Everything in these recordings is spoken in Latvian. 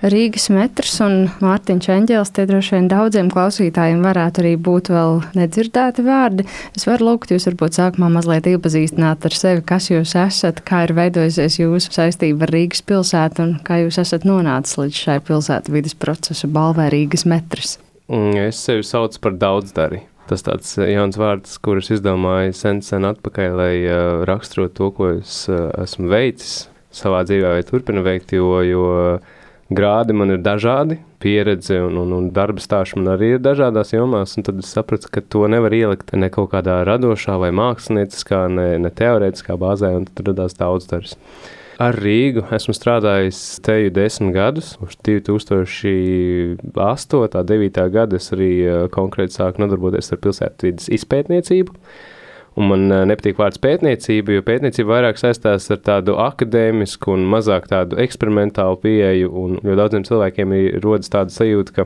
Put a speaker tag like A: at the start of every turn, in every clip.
A: Rīgas metrs un Mārtiņš Eņģelis, tie droši vien daudziem klausītājiem varētu arī būt vēl nedzirdēti vārdi. Es varu lūgt jūs varbūt sākumā mazliet iepazīstināt ar sevi, kas jūs esat, kā ir veidojusies jūsu saistība ar Rīgas pilsētu un kā jūs esat nonācis līdz šai pilsētvides procesa balvai Rīgas metrs.
B: Es sevi saucu par daudzdari. Tas tāds jauns vārds, kurus izdomāju sen atpakaļ, lai raksturot to, ko es esmu veicis savā dzīvē vai turpinu veikt, jo grādi man ir dažādi, pieredze un darba stāsts man arī ir dažādās jomās, un tad es sapratu, ka to nevar ielikt ne kaut kādā radošā vai mākslinieckā, ne teorētiskā bāzē, un tad radās daudzdars. Ar Rīgu esmu strādājis teju 10 gadus, uz 2008. 9. gada es arī konkrēti sāku nodarboties ar pilsētvides izpētniecību. Un man nepatīk vārds pētniecība, jo pētniecība vairāk saistās ar tādu akadēmisku un mazāk tādu eksperimentālu pieeju, un jo daudziem cilvēkiem rodas tāda sajūta, ka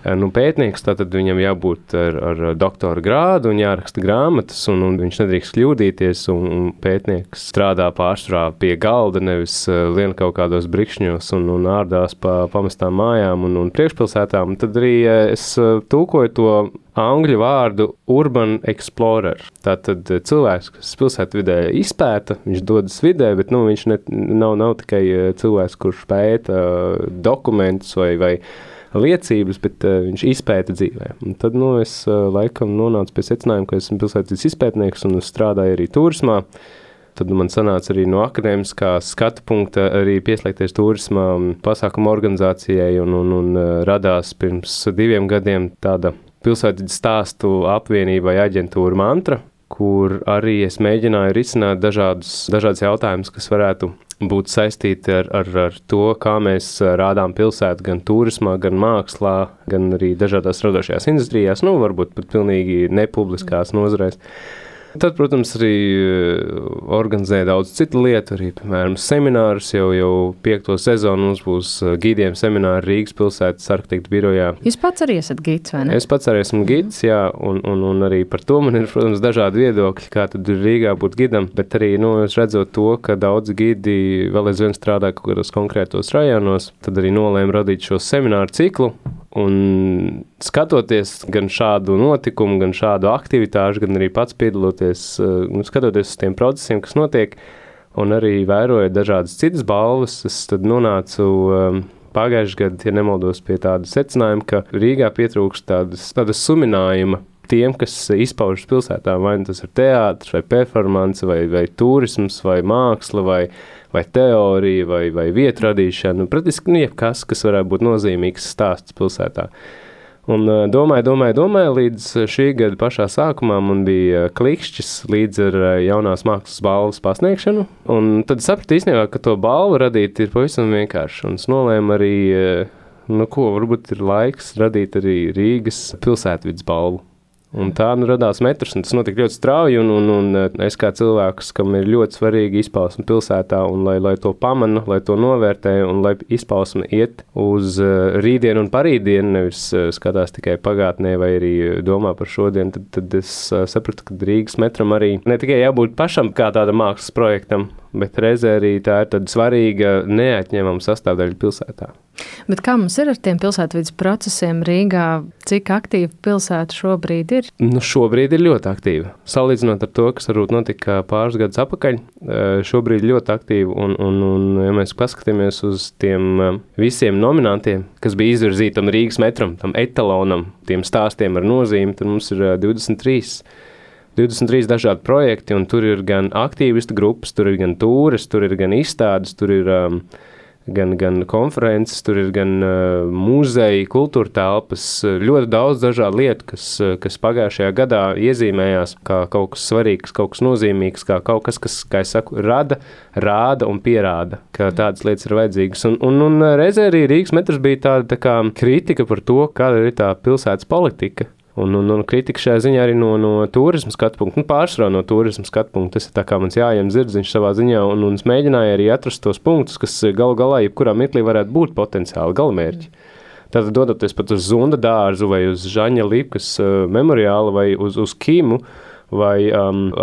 B: pētnieks, tātad viņam jābūt ar doktora grādu un jāraksta grāmatas, un viņš nedrīkst kļūdīties, un pētnieks strādā pārsvarā pie galda, nevis lien kaut kādos brikšņos un ārdās pa pamestām mājām un priekšpilsētām. Tad arī es tulkoju to angļu vārdu urban explorer. Tātad cilvēks, kas pilsētvidē izpēta, viņš dodas vidē, bet viņš nav tikai cilvēks, kurš pēta dokumentus vai liecības, bet viņš izpēta dzīvē. Un tad es laikam nonācu pie secinājuma, ka esmu pilsētvides izpētnieks un strādāju arī turismā. Tad man sanāca arī no akadēmiskā skatu punkta arī pieslēgties turismā pasākumu organizācijai un radās pirms 2 gadiem tāda pilsētvides stāstu apvienībai aģentūra Mantra, kur arī es mēģināju risināt dažādas jautājumus, kas varētu būt saistīti ar to, kā mēs rādām pilsētu gan turismā, gan mākslā, gan arī dažādās radošajās industrijās, varbūt pat pilnīgi nepubliskās nozarēs. Tad, protams, arī organizēja daudz citu lietu, arī, piemēram, seminārus, jau 5. sezonu mums būs gidiem semināri Rīgas pilsētas arhitektu birojā.
A: Jūs pats arī esat gids, vai ne?
B: Es pats arī esmu gids, jā, un arī par to man ir, protams, dažādi viedokļi, kā tad ir Rīgā būt gidam, bet arī, es redzot to, ka daudz gidi vēl aizvien strādā kaut kādos konkrētos rajonos, tad arī nolēmu radīt šo semināru ciklu. Un skatoties gan šādu notikumu, gan šādu aktivitāšu, gan arī pats piedaloties, skatoties uz tiem procesiem, kas notiek, un arī vērojot dažādas citas balvas, es tad nonācu pagājušajā gadā, ja nemaldos, pie tāda secinājuma, ka Rīgā pietrūkst tādas suminājuma tiem, kas izpaužas pilsētā, vai tas ir teātris, vai performance, vai turisms, vai māksla, vai teorija, vai vietu radīšana, praktiski jebkas, kas varētu būt nozīmīgs stāsts pilsētā. Un domāju, līdz šī gada pašā sākumā man bija klikšķis līdz ar jaunās mākslas balvas pasniegšanu, un tad sapratu īstenībā, ka to balvu radīt ir pavisam vienkārši, un es nolēmu arī, varbūt ir laiks radīt arī Rīgas pilsētvides balvu. Un tā radās metrs, un tas notika ļoti strauji, un es kā cilvēks, kam ir ļoti svarīgi izpausme pilsētā, un lai to pamanu, lai to novērtē, un lai izpausme iet uz rītdienu un parītdienu, nevis skatās tikai pagātnē vai arī domā par šodien, tad es sapratu, ka Rīgas metram arī ne tikai jābūt pašam kā tāda mākslas projektam, bet reizē arī tā ir tāda svarīga, neatņemama sastāvdaļa pilsētā.
A: Bet kā mums ir ar tiem pilsētvides procesiem Rīgā? Cik aktīva pilsēta šobrīd ir?
B: Šobrīd ir ļoti aktīva. Salīdzinot ar to, kas varbūt notika pāris gadus atpakaļ, šobrīd ļoti aktīva. Un ja mēs paskatāmies uz tiem visiem nominantiem, kas bija izvirzīti tam Rīgas metram, tam etalonam, tiem stāstiem ar nozīmi, tad mums ir 23 dažādi projekti, un tur ir gan aktīvistu grupas, tur ir gan tūres, tur ir gan izstādes, tur ir gan konferences, tur ir gan muzeji, kultūra telpas, ļoti daudz dažādu lietu, kas pagājušajā gadā iezīmējās kā kaut kas svarīgs, kaut kas nozīmīgs, kā kaut kas, kas, kā es saku, rāda un pierāda, ka tādas lietas ir vajadzīgas. Un reizē arī Rīgas metrs bija tāda kā kritika par to, kāda ir tā pilsētas politika. Un kritika šajā ziņā arī no turisma skatu punkta, pārsvarā no turisma skatu punkta. Tas ir tā kā mans jājiem zirdziņš savā ziņā, un es mēģināju arī atrast tos punktus, kas galu galā jebkurā mirklī varētu būt potenciāli galamērķi. Tātad dodoties pat uz Zunda dārzu vai uz Žaņa Lipkas memoriālu vai uz Kimu, vai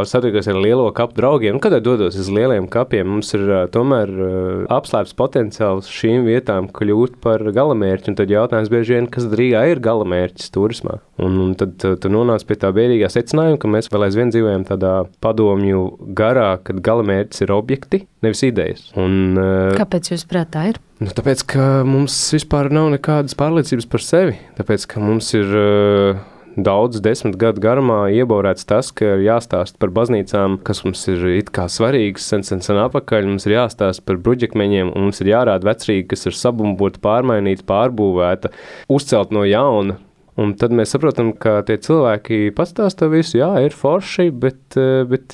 B: satikos ar lielo kapu draugiem. Kad dodos uz lieliem kapiem, mums ir tomēr apslēpts potenciāls šīm vietām kļūt par galamērķi, un tad jautājums bieži vien, kas Rīgā ir galamērķis turismā. Un tad tu nonāc pie tā bēdīgā secinājuma, ka mēs vēl aizvien dzīvojam tādā padomju garā, kad galamērķis ir objekti, nevis idejas.
A: Kāpēc jūs prāt tā ir?
B: Tāpēc, ka mums vispār nav nekādas pārliecības par sevi. Tāpēc, ka mums ir daudz 10 gadu garumā ieborēts tas, ka ir jāstāst par baznīcām, kas mums ir it kā svarīgas, sen apakaļ. Mums ir jāstāst par bruģekmeņiem, un mums ir jārāda vecrīga, kas ir sabumbota, pārmainīta, pārbūvēta, uzcelt no jauna. Un tad mēs saprotam, ka tie cilvēki pastāsta visu, jā, ir forši, bet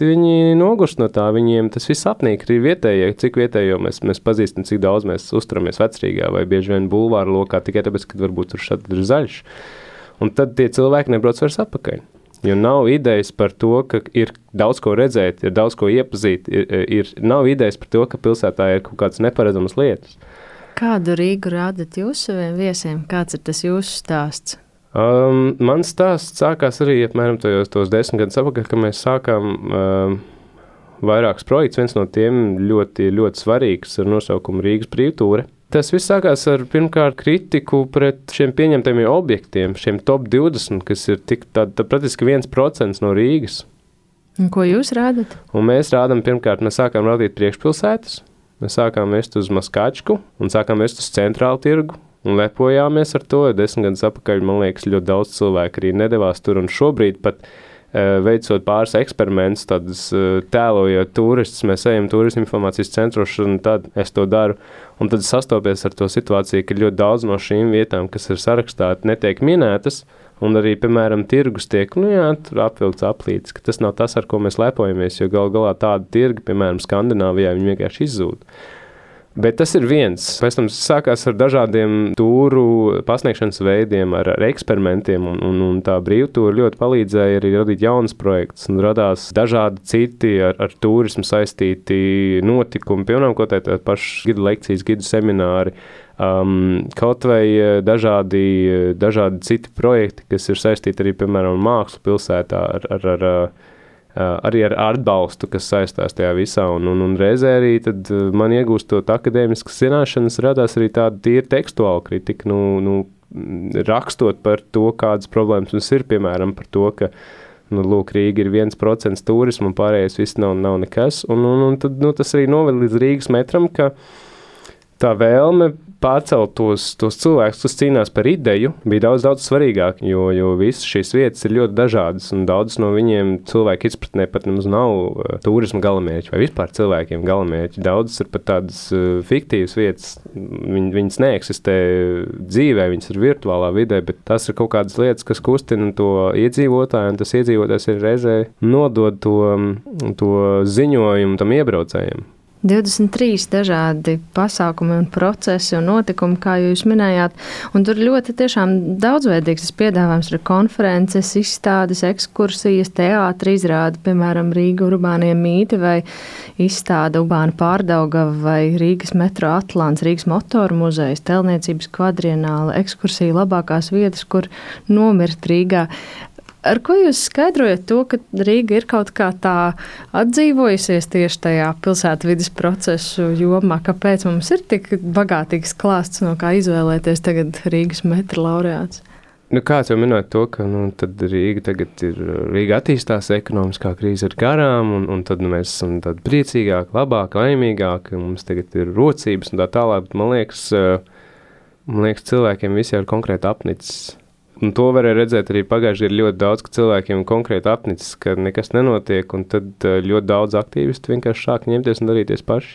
B: viņi nogurst no tā, viņiem tas viss apnīk, arī vietējie, cik vietējo mēs pazīstam, cik daudz mēs uzturamies vecrīgā vai bieži vien bulvāra lokā, tikai tāpēc, ka varbūt tur šad ir zaļš. Un tad tie cilvēki nebrauc vairs atpakaļ. Jo nav idejas par to, ka ir daudz ko redzēt, ir daudz ko iepazīt, nav idejas par to, ka pilsētā ir kaut kādas neparedzamas lietas.
A: Kādu Rīgu rādat jūs saviem viesiem? Kāds ir tas jūsu stāsts?
B: Mans stāsts sākās arī apmēram tos 10 gadus apakaļ, kad mēs sākām vairākus projektus. Viens no tiem ļoti, ļoti svarīgs ar nosaukumu Rīgas brīvtūre. Tas viss sākās ar pirmkārt kritiku pret šiem pieņemtajiem objektiem, šiem top 20, kas ir tik praktiski 1% no Rīgas.
A: Un ko jūs rādat?
B: Un mēs rādam pirmkārt, mēs sākām rādīt priekšpilsētas, mēs sākām vest uz Maskačku un sākām vest uz centrālu tirgu. Un lepojāmies ar to. 10 gadus apakaļ, man liekas, ļoti daudz cilvēku arī nedavās tur. Un šobrīd pat veicot pāris eksperimentus, tādus tēlojot turistus, mēs ejam turismu informācijas centros, un tad es to daru. Un tad sastopies ar to situāciju, ka ļoti daudz no šīm vietām, kas ir sarakstāti, netiek minētas. Un arī, piemēram, tirgus tiek, tur apvilkts aplītis, ka tas nav tas, ar ko mēs lepojamies, jo galā tāda tirga, piemēram, Skandināvijā, viņi vienkārši izzūd. Bet tas ir viens. Pēc tam sākās ar dažādiem tūru pasniegšanas veidiem, ar eksperimentiem, un tā brīvtūra ļoti palīdzēja arī radīt jaunas projektus, un radās dažādi citi ar turismu saistīti notikumi, piemēram, ko tā pašas gidu lekcijas, gidu semināri, kaut vai dažādi citi projekti, kas ir saistīti arī, piemēram, mākslu pilsētā arī ar atbalstu, kas saistās tajā visā, un reizē arī tad man iegūstot akadēmiskas zināšanas, radās arī tāda tīra tekstuāla kritika, rakstot par to, kādas problēmas mums ir, piemēram, par to, ka, lūk, Rīga ir 1% turismu un pārējais viss nav nekas, un tad, tas arī noved līdz Rīgas metram, ka tā vēlme pārcelt tos cilvēkus, kas cīnās par ideju, bija daudz svarīgāk, jo visas šīs vietas ir ļoti dažādas, un daudz no viņiem cilvēku izpratnē pat nemaz nav turisma galamērķi, vai vispār cilvēkiem galamērķi. Daudzas ir pat tādas fiktīvas vietas, viņas neeksistē dzīvē, viņas ir virtuālā vidē, bet tas ir kaut kādas lietas, kas kustina to iedzīvotāju, un tas iedzīvotājs ir reizē nodod to ziņojumu tam iebraucējiem.
A: 23 dažādi pasākumi un procesi un notikumi, kā jūs minējāt, un tur ļoti tiešām daudzveidīgs piedāvājums ir konferences, izstādes, ekskursijas, teātri izrādi, piemēram, Rīga urbānie mīti vai izstāde Urbāna Pārdaugava vai Rīgas metro Atlants, Rīgas motoru muzejs, telniecības kvadrienāla, ekskursija labākās vietas, kur nomirt Rīgā. Ar ko jūs skaidrojat to, ka Rīga ir kaut kā tā atdzīvojusies tieši tajā pilsētvides procesu jomā? Kāpēc mums ir tik bagātīgs klāsts, no kā izvēlēties tagad Rīgas metra laureāts?
B: Kāds jau minēja to, ka tad Rīga attīstās, ekonomiskā krīze ir garām, un tad mēs esam tādi priecīgāki, labāki, laimīgāki, mums tagad ir rocības un tā tālāk. Man liekas, cilvēkiem visi ir konkrēti apnicis. Un to varēja redzēt arī pagājušajā gadā ļoti daudz, ka cilvēkiem konkrēti apnicis, ka nekas nenotiek, un tad ļoti daudz aktīvistu vienkārši sāk ņemties un darīties paši.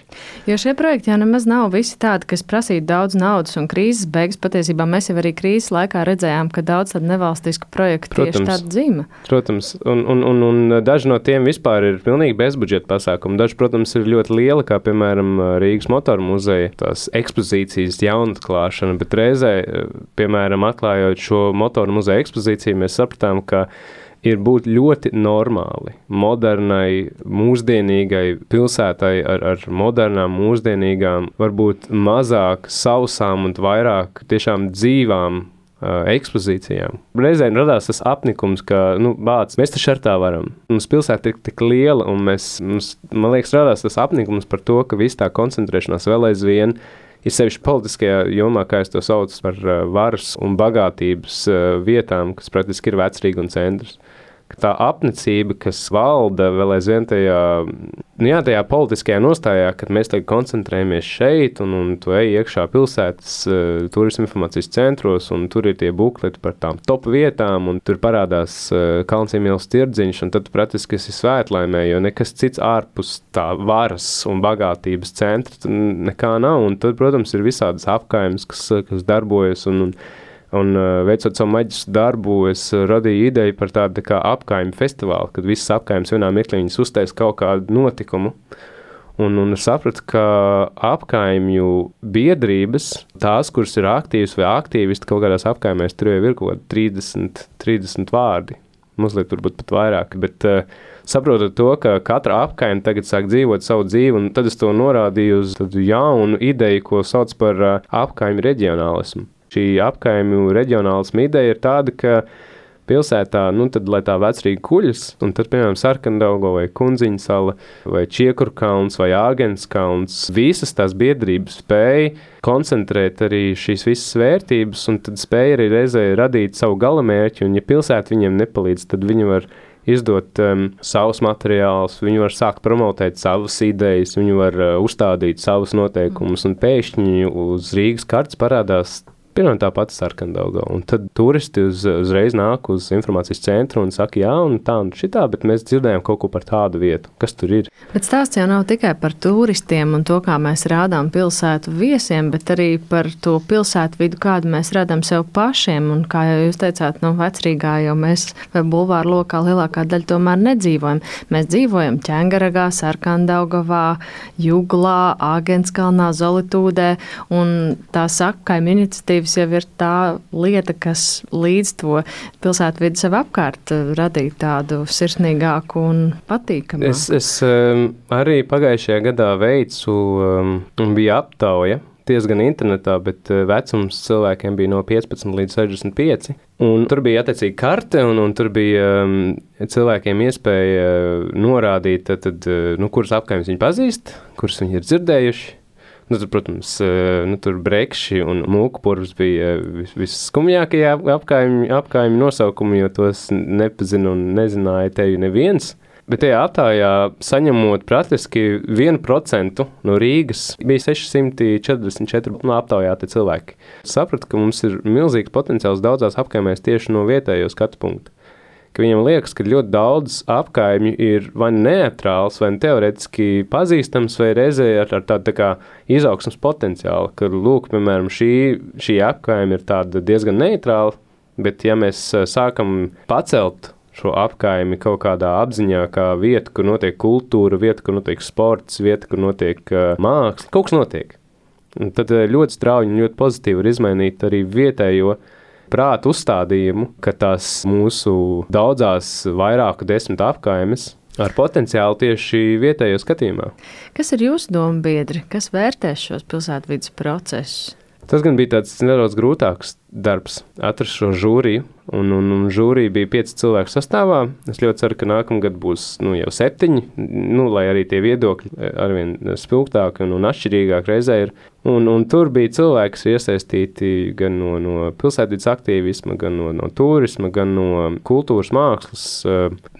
A: Jo šie projekti jau nemaz nav visi tādi, kas prasītu daudz naudas un krīzes beigas. Patiesībā mēs jau arī krīzes laikā redzējām, ka daudz tādu nevalstisku projektu tieši tādu dzīme.
B: Protams, un daži no tiem vispār ir pilnīgi bezbudžeta pasākumi. Daži, protams, ir ļoti lieli, kā piemēram Rīgas motoru muzeja, tās ekspozīcijas jaunatklāšana, bet reizē, piemēram, atklājot šo motoru muzeja ekspozīciju, mēs sapratām, ka ir būt ļoti normāli, modernai, mūsdienīgai pilsētai ar modernām, mūsdienīgām, varbūt mazāk sausām un vairāk tiešām dzīvām ekspozīcijām. Reizēm radās tas apnikums, ka, bāc, mēs taču ar tā varam. Mums pilsēta ir tik liela, un man liekas, radās tas apnikums par to, ka viss tā koncentrēšanās vēl aizvien ir sevišķi politiskajā jomā, kā es to saucu par varas un bagātības vietām, kas praktiski ir Vecrīga un centrs. Tā apnicība, kas valda vēl aizvien tajā politiskajā nostājā, kad mēs tagad koncentrējamies šeit un tu ej iekšā pilsētas turisma informācijas centros un tur ir tie bukleti par tām top vietām un tur parādās Kalnciem ielas tirdziņš un tad praktiski esi svētlaimē, jo nekas cits ārpus tā varas un bagātības centra nekā nav un tad, protams, ir visādas apkaimes, kas darbojas un veicot savu maģisku darbu, es radīju ideju par tādu kā apkaimju festivālu, kad visas apkaimes vienā mirklī viņas uztais kaut kādu notikumu. Un sapratu, ka apkaimju biedrības, tās, kuras ir aktīvas vai aktīvisti kaut kādās apkaimēs, tur jau ir kaut kādi 30 vārdi. Mazliet turbūt pat vairāk, bet saprotot to, ka katra apkaime tagad sāk dzīvot savu dzīvi, un tad es to norādīju uz tādu jaunu ideju, ko sauc par apkaimju reģionālismu. Šī apkaimju reģionālisma ideja ir tāda, ka pilsētā, tad, lai tā Vecrīga kuļas, un tad, piemēram, Sarkandaugo vai Kundziņa sala, vai Čiekurkalns vai Āgenskalns, visas tās biedrības spēja koncentrēt arī šīs visas vērtības, un tad spēja arī reizē radīt savu galamērķi, un ja pilsēta viņiem nepalīdz, tad viņi var izdot savus materiālus, viņi var sākt promotēt savas idejas, viņi var uzstādīt savus noteikumus, un pēkšņi uz Rīgas kartes parādās pirmā tā pati Sarkandauga, un tad turisti uzreiz nāk uz informācijas centru un saka, jā, un tā un šitā, bet mēs dzirdējām kaut ko par tādu vietu. Kas tur ir?
A: Bet stāsts jau nav tikai par turistiem un to, kā mēs rādām pilsētu viesiem, bet arī par to pilsētu vidu, kādu mēs rādām sev pašiem, un kā jau jūs teicāt, Vecrīgā jau mēs vai bulvāru lokā lielākā daļa tomēr nedzīvojam. Mēs dzīvojam Ķengaragā, Sarkandaugavā, Juglā, Āgenskalnā, Zolitūdē, un tā apkaimju iniciatīva jau ir tā lieta, kas līdz to pilsētu vidi sev apkārt radīja tādu sirsnīgāku un patīkamāku.
B: Es arī pagājušajā gadā veicu un bija aptauja diezgan internetā, bet vecums cilvēkiem bija no 15 līdz 65. Un tur bija attiecīgi karte, un tur bija cilvēkiem iespēja norādīt, kuras apkaimes viņi pazīst, kuras viņi ir dzirdējuši. Tur, protams, tur Brekši un Mūkpurvs bija visskumjākie apkaimju nosaukumi, jo tos nepazina un nezināja tevi neviens. Bet tajā aptājā, saņemot praktiski 1% no Rīgas, bija 644 aptaujāti cilvēki. Sapratu, ka mums ir milzīgs potenciāls daudzās apkaimēs tieši no vietējo skatu punktu. Ka viņam liekas, ka ļoti daudz apkaimju ir vai neatrāls, vai teoretiski pazīstams, vai reizē ar tādu tā kā izaugsmas potenciālu, ka, lūk, piemēram, šī apkaime ir tāda diezgan neitrāla, bet ja mēs sākam pacelt šo apkaimi kaut kādā apziņā, kā vieta, kur notiek kultūra, vieta, kur notiek sports, vieta, kur notiek māksla, kaut kas notiek. Un tad ļoti strauji un ļoti pozitīvi var izmainīt arī vietējo prātu uzstādījumu, ka tās mūsu daudzās vairāku 10 apkaimes ar potenciālu tieši vietējo skatījumā.
A: Kas ir jūsu dombiedri? Kas vērtēs šos pilsētvides procesus?
B: Tas gan bija tāds nedaudz grūtāks darbs, atrast šo žūriju, un žūrija bija 5 cilvēku sastāvā. Es ļoti ceru, ka nākamgad būs jau 7, lai arī tie viedokļi arvien spilgtāki un atšķirīgāk reizē ir. Un tur bija cilvēki, kas iesaistīti gan no pilsētvides aktīvisma, gan no turisma, gan no kultūras mākslas,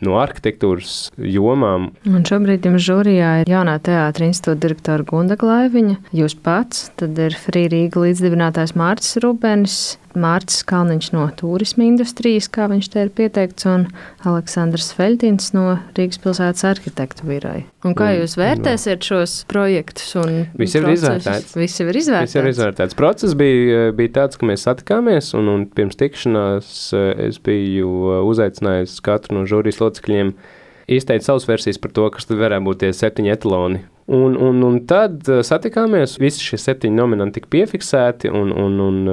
B: no arhitektūras jomām.
A: Un šobrīd jums žūrijā ir Jaunā teātra institūta direktora Gunda Glaiviņa, jūs pats, tad ir Free Rīga līdzdibinātājs Mārcis Rubenis, Mārcis Kalniņš no turisma industrijas, kā viņš te ir pieteikts, un Aleksandrs Feļtins no Rīgas pilsētas arhitektu biroja. Un kā jūs vērtēsiet šos projektus un
B: Visi ir izvērtēts.
A: Visi ir izvērtēts.
B: Process bija tāds, ka mēs satikāmies, un pirms tikšanās es biju uzaicinājis katru no žūrijas locekļiem izteikt savas versijas par to, kas tad varētu būt tie 7 etaloni. Un tad satikāmies, visi šie 7 nominanti tika piefiksēti un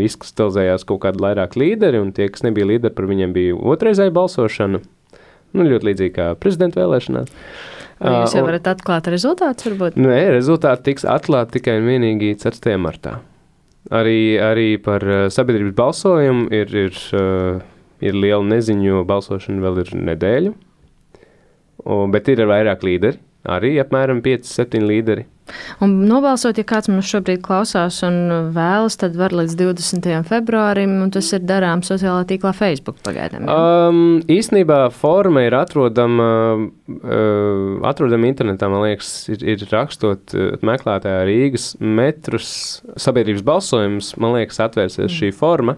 B: izkristalizējās kaut kādi vairāk līderi, un tie, kas nebija līderi, par viņiem bija otrreizēja balsošana. Ļoti līdzīgi kā prezidenta vēlēšanās.
A: Vai jūs jau varat atklāt rezultātus, varbūt?
B: Nē, rezultāti tiks atklāti tikai un vienīgi 4. martā. Arī par sabiedrības balsojumu ir liela neziņa, jo balsošana vēl ir nedēļu, bet ir vairāk līderi, arī apmēram 5-7 līderi.
A: Un nobalsot, ja kāds mums šobrīd klausās un vēlas, tad var līdz 20. februārim, un tas ir darāms sociālā tīklā Facebook pagaidām.
B: Īstenībā forma ir atrodama internetā, man liekas, ir rakstot meklētājā Rīgas metrus sabiedrības balsojums, man liekas, atvērsies šī forma.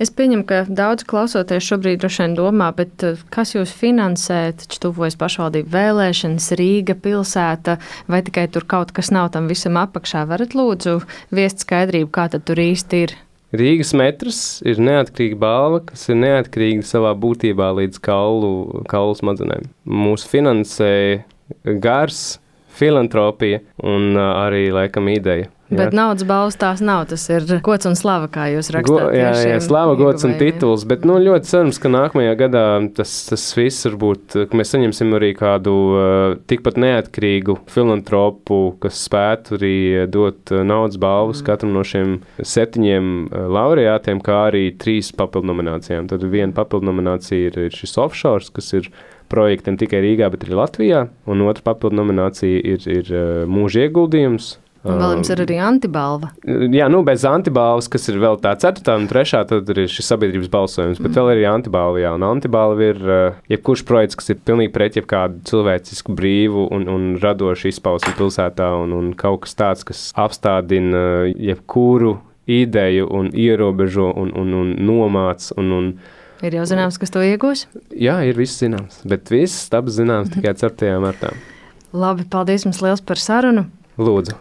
A: Es pieņemu, ka daudz klausoties šobrīd droši vien domā, bet kas jūs finansē, taču tuvojas pašvaldību vēlēšanas, Rīga, pilsēta, vai tikai tur kaut kas nav tam visam apakšā? Varat lūdzu viest skaidrību, kā tad tur īsti ir?
B: Rīgas metrs ir neatkarīga balva, kas ir neatkarīga savā būtībā līdz kaulu smadzenēm. Mūsu finansē gars, filantropija un arī, laikam, ideja.
A: Bet naudas balvas tās nav, tas ir gods un slava, kā jūs rakstāt.
B: Jā, slava, gods un tituls, bet ļoti cerams, ka nākamajā gadā tas viss varbūt, ka mēs saņemsim arī kādu tikpat neatkarīgu filantropu, kas spētu arī dot naudas balvas katram no šiem 7 laureātiem, kā arī 3 papildu nominācijām. Tad viena papildu nominācija ir šis offshore, kas ir projektiem tikai Rīgā, bet arī Latvijā, un otra papildu nominācija ir mūža ieguldījums.
A: Un vēl jums ir arī antibalva.
B: Jā, bez antibalvas, kas ir vēl tā 4. un 3. tad ir šis sabiedrības balsojums, bet vēl ir antibalva, jā. Un antibalva ir jebkurš projekts, kas ir pilnīgi pret jebkādu cilvēcisku brīvu un radošu izpausmi pilsētā un kaut kas tāds, kas apstādina jebkuru ideju un ierobežo un nomāc un
A: Ir jau zināms, kas to iegūs?
B: Jā, ir viss zināms, bet viss taps zināms tikai 4. martā.
A: Labi, paldies jums liels par sarunu.
B: Lūdzu.